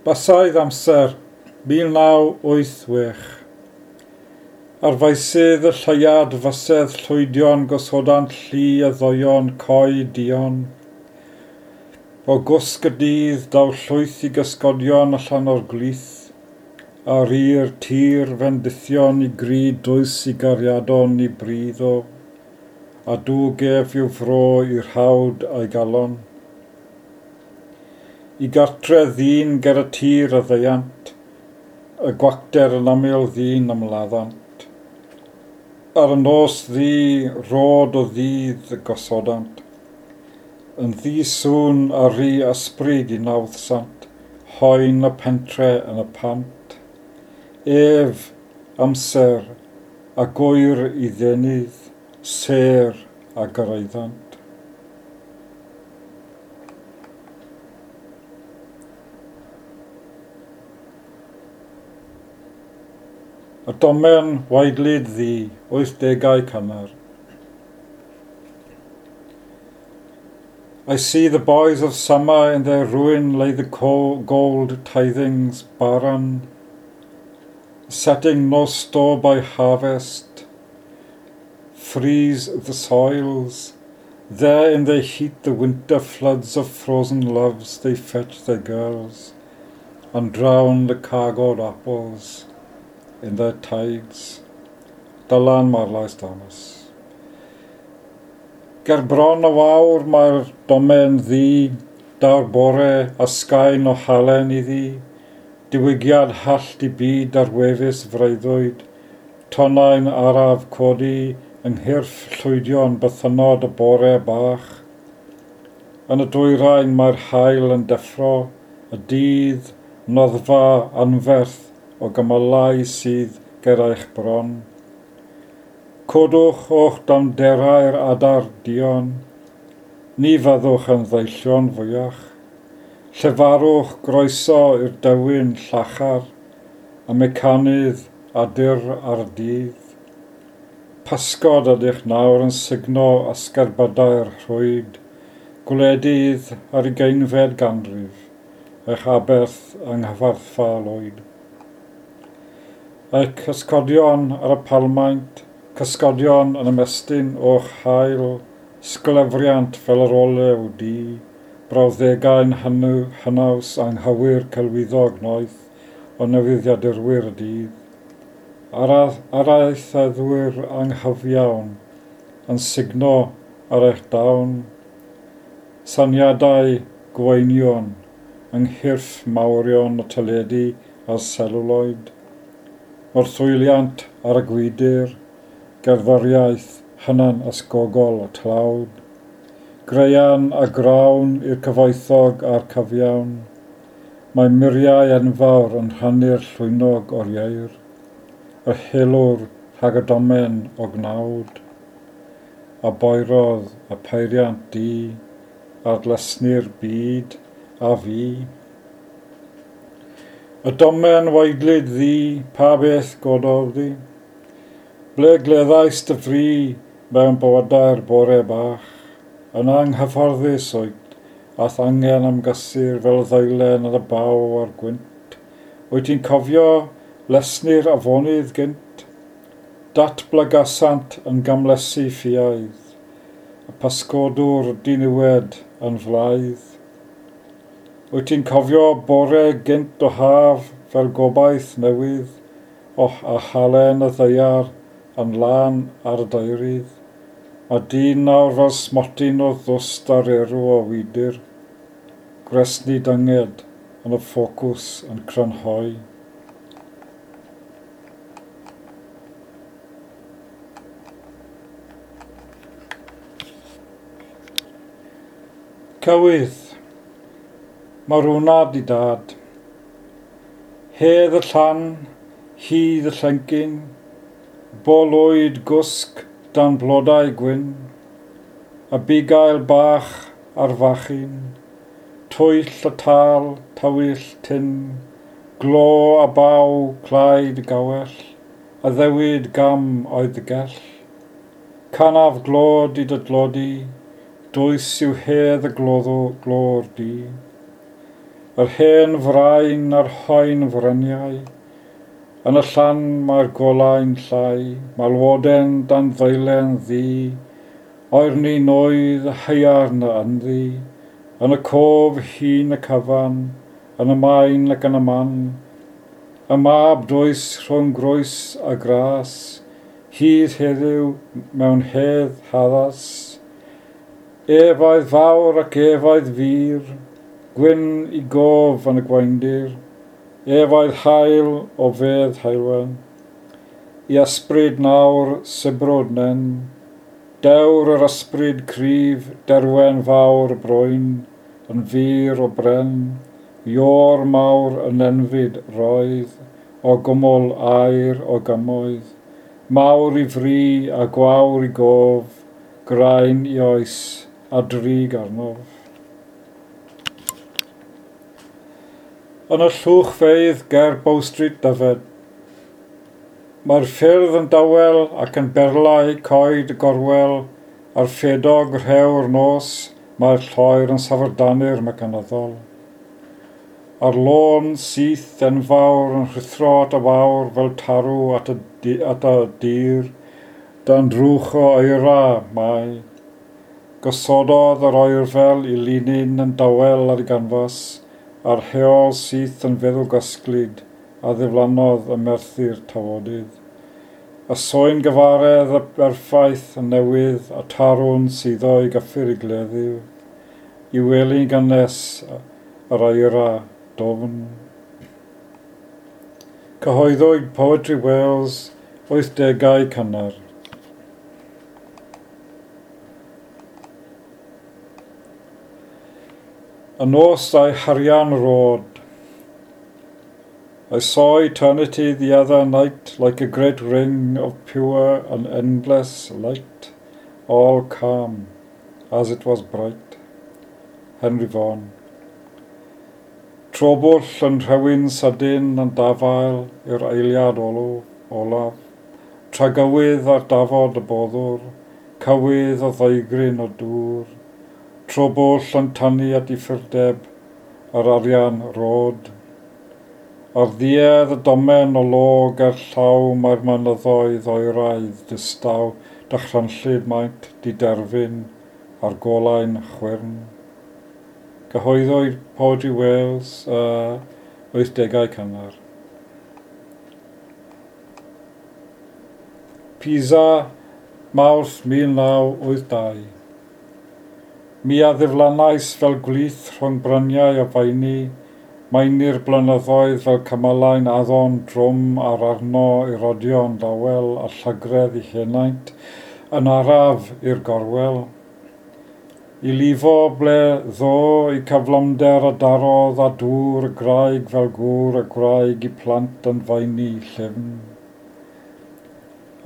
Basaidd amser 1986. Ar faesydd y lleuad fysedd llwydion gosodant llu a ddoion coed duon. O gwsg y dydd daw llwyth i gysgodion allan o'r gwlith, a rîr tir fendithion i gri dwys i gariadon i bridd o, a dwg ef i'w fro i'r hawd a'i galon. I gartre ddyn ger y tir a ddeuant, y gwacter yn aml ddyn ymladdant. Ar y nos ddu, rod o ddydd y gosodant. Yn ddi-sŵn a rhy ysbryd i nawddsant, hoen y pentre yn y pant. Ef, amser, a gwyr i ddenydd, sêr a gyrraeddant. Y domen waedlyd ddu, 80au cynnar. I see the boys of summer in their ruin lay the gold tithings barren, setting no store by harvest, freeze the soils. There in their heat the winter floods of frozen loves they fetch their girls, and drown the cargoed apples in their tides. Dylan Marlais Thomas. Ger bron y wawr mae'r domen ddu, daw'r bore a sgain o halen iddi, diwygiad hallt i byd ar wefus freuddwyd, tonnau'n araf codi yng nghyrff llwydion bythynnod y bore bach. Yn y dwyrain mae'r haul yn deffro, y dydd, noddfa anferth o gymylau sydd ger eich bron. Codwch o'ch damderau'r adar duon, ni fyddwch yn ddeillion fwyach. Llefarwch groeso i'r dewin llachar, y mecanydd a dyr ar dydd. Pasgod ydych nawr yn sugno ysgerbydau'r rhwyd, gwledydd ar ugeinfed ganrif, eich aberth yng nghyfarthfa lwyd. Eich cysgodion ar y palmaint, cysgodion yn ymestyn o'ch haul, sglefriant fel yr olew du, brawddegau'n hynaws anghywir celwyddog noeth o newyddiadurwyr y dydd. Araetheddwyr anghyfiawn yn sugno ar eich dawn, syniadau gweinion yng nghyrff mawrion y teledu a'r seluloid, morthwyliant ar y gwydr, gerddoriaeth hynan ysgogol y tlawd, graean a grawn i'r cyfoethog a'r cyfiawn. Mae muriau enfawr yn rhannu'r llwynog o'r ieir, yr helwr rhag y domen o gnawd, a boerodd y peiriant du ar dlysni'r byd a fi. Y domen waedlyd ddu, pa beth gododd di? Ble gleddais dy fri mewn bywydau'r bore bach? Yn anghyfforddus wyt, a'th angen am gysur fel ddeilen ar y baw a'r gwynt. Wyt ti'n cofio lesni'r afonydd gynt? Datblygasant yn gamlesu ffiaidd, y pasgodwr diniwed yn flaidd. Wyt ti'n cofio bore gynt o haf fel gobaith newydd, och a halen y ddaear yn lân ar y daerydd. Mae dyn nawr fel smotyn o ddwst ar erw o wydr, gwresni dynged yn y ffocws yn crynhoi. Cywydd. Marwnad i dad. Hedd y llan, hydd y llencyn, bolwyd gwsg dan blodau gwyn, a bugail bach ar fachyn, twyll y tal, tywyll tyn, glo a baw, claid gawell, a ddewid gam oedd y gell. Canaf glod i dy dlodi, dwys yw hedd y gloddo glor di. Yr hen frain a'r hoen fryniau, yn y llan mae'r golau'n llai, malwoden dan ddeilen ddu, oerni noedd haearn ynddi, yn y cof hun y cyfan, yn y maen ac yn y man, y mab dwys rhwng groes a gras, hyd heddiw mewn hedd haddas. Ef oedd fawr ac ef oedd fir, gwyn i gof yn y gwaendir, ef oedd haul o fedd heulwen. I ysbryd nawr sibrwd nen, dewr yr ysbryd cryf, derwen fawr y brwyn, yn fur o bren, iôr mawr yn enfyd roedd, o gwmwl aur o gymoedd, mawr i fri a gwawr i gof, graen i oes a drig arnof. Yn y llwchfeydd ger Bow Street, Dyfed. Mae'r ffyrdd yn dawel ac yn berlau coed y gorwel, a'r ffedog rhew'r nos, mae'r lloer yn safrdanu'r mecanyddol. A'r lôn syth enfawr yn rhuthro at y wawr fel tarw at y, at y dir, dan drwch o eira mae. Gosododd yr oerfel i linyn yn dawel ar ei ganfas, a'r heol syth yn feddwl gysglyd a ddiflannodd y merthyr tawodydd. Y soen gyfaredd y berffaith y newydd a tarwn suddo i gyffur i gleddyf, i wely'n gynnes yr eira dofn. Cyhoeddwyd Poetry Wales 80au cynnar. Y nos a'i harian rod. I saw eternity the other night like a great ring of pure and endless light, all calm as it was bright. Henry Vaughan. Trobwll yn rhewyn sydyn yn dafael i'r eiliad olaf. Tragywydd ar dafod y boddwr, cywydd o ddeigryn o dŵr. Trobwll yn tynnu at uffurdeb yr arian rod. Ar ddiedd y domen o log er llaw mae'r mynyddoedd oeraidd distaw dychrynllyd maint diderfyn a'r golau'n chwyrn. Cyhoeddwyd Poetry Wales 80au cynnar. Pisa, Mawrth 1982. Mi a ddiflannais fel gwlith rhwng bryniau o faeni, maenu'r blynyddoedd fel cymylau'n addon drwm ar arno i rodio'n dawel a llygredd i henaint, yn araf i'r gorwel. I lifo ble ddo i cyflymder a darodd a dŵr y graig fel gŵr y gwraig i plant yn faeni llyfn.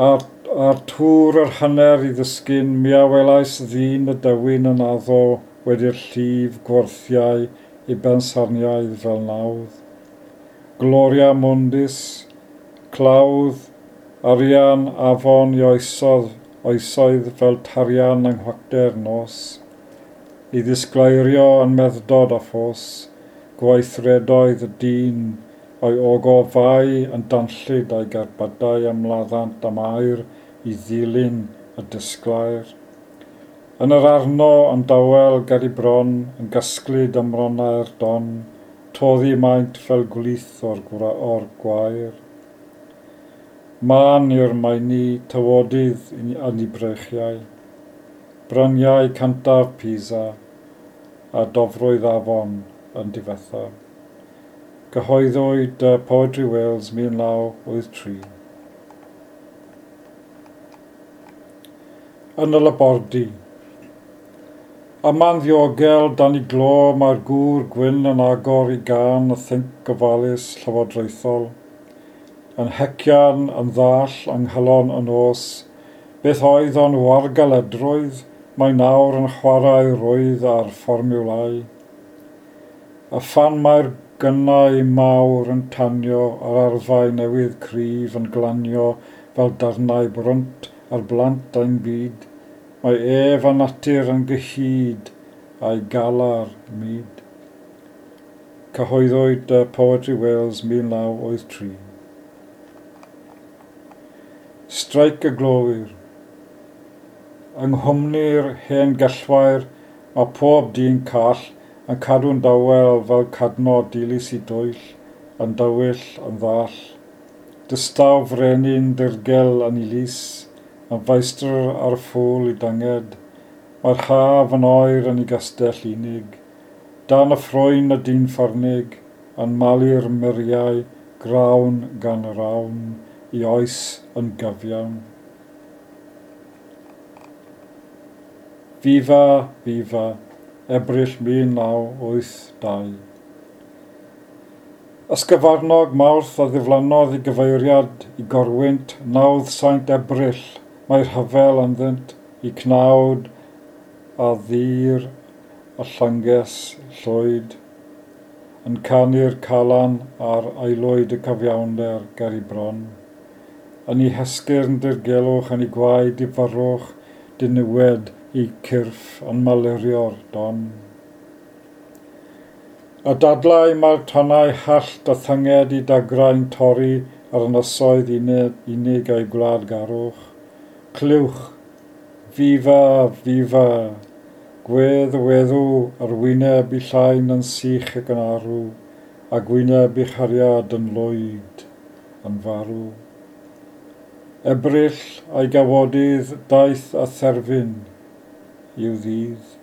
A'r tŵr yr hanner i ddisgyn, mi a welais ddyn y dewin yn addo wedi'r llif gwarthiau i bensarniaidd fel nawdd. Gloria mundis, clawdd, arian afon i oesodd, oesoedd fel tarian yng nghwacter nos. I ddisgleirio yn medddod a ffos, gweithredoedd y dyn o'i ogofau yn danllyd a'i gerbydau ymladdant am air i ddilyn y disglair. Yn yr arno yn dawel ger i bron, yn gysglyd ym mronnau'r don, toddi maint fel gwlith o'r, or gwair. Mân yw'r maeni tywodydd yn ei breichiau. Bryniau cyntaf Pisa a dofrwydd afon yn difetha. Cyhoeddwyd Poetry Wales 1983. Yn y labordy. Yma'n ddiogel dan i glo mae'r gŵr gwyn yn agor i gan y thinc gofalus llywodraethol. Yn hecian, yn ddall, yng nghalon y nos, beth oedd o'n wargaledrwydd, mae nawr yn chwarae rwydd ar fformiwlau. A phan mae'r gynnau mawr yn tanio a'r arfau newydd cryf yn glanio fel darnau brwnt ar blant ein byd, mae ef a natur yn gyhyd a'i galar mud. Cyhoeddwyd Poetry Wales 1983. Streic y glowyr. Yng nghwmni'r hen gellwair mae pob dyn call yn cadw'n dawel fel cadno dilys i dwyll, yn dywyll, yn ddall. Dystaw frenin dirgel yn ei lys, yn feistr ar y ffŵl i dynged. Mae'r haf yn oer yn ei gastell unig. Dan y ffrwyn y dyn ffyrnig, yn malu'r muriau, grawn gan rawn, i oes yn gyfiawn. Viva, viva, Ebrill 1982. Ysgyfarnog Mawrth a ddiflannodd i gyfeiriad i gorwynt nawdd Saint Ebrill, mae rhyfel ynddynt i cnawd a ddir a llynges llwyd, yn canu'r calan a'r aelwyd y cyfiawnder ger ei bron. Yn ei hesgyrn dirgelwch, yn ei gwaed i fyrwch, diniwed i cyrff yn malurio'r don. A dadlau mae'r tonnau hallt a thynged i dagrau'n torri ar ynysoedd unig a'i gwlad garwch. Clywch, viva, viva, gwedd y weddw ar wyneb i llain yn sych ac yn arw, a gwyneb i chariad yn lwyd, yn farw. Ebrill a'i gawodydd daeth a therfyn i'w ddydd.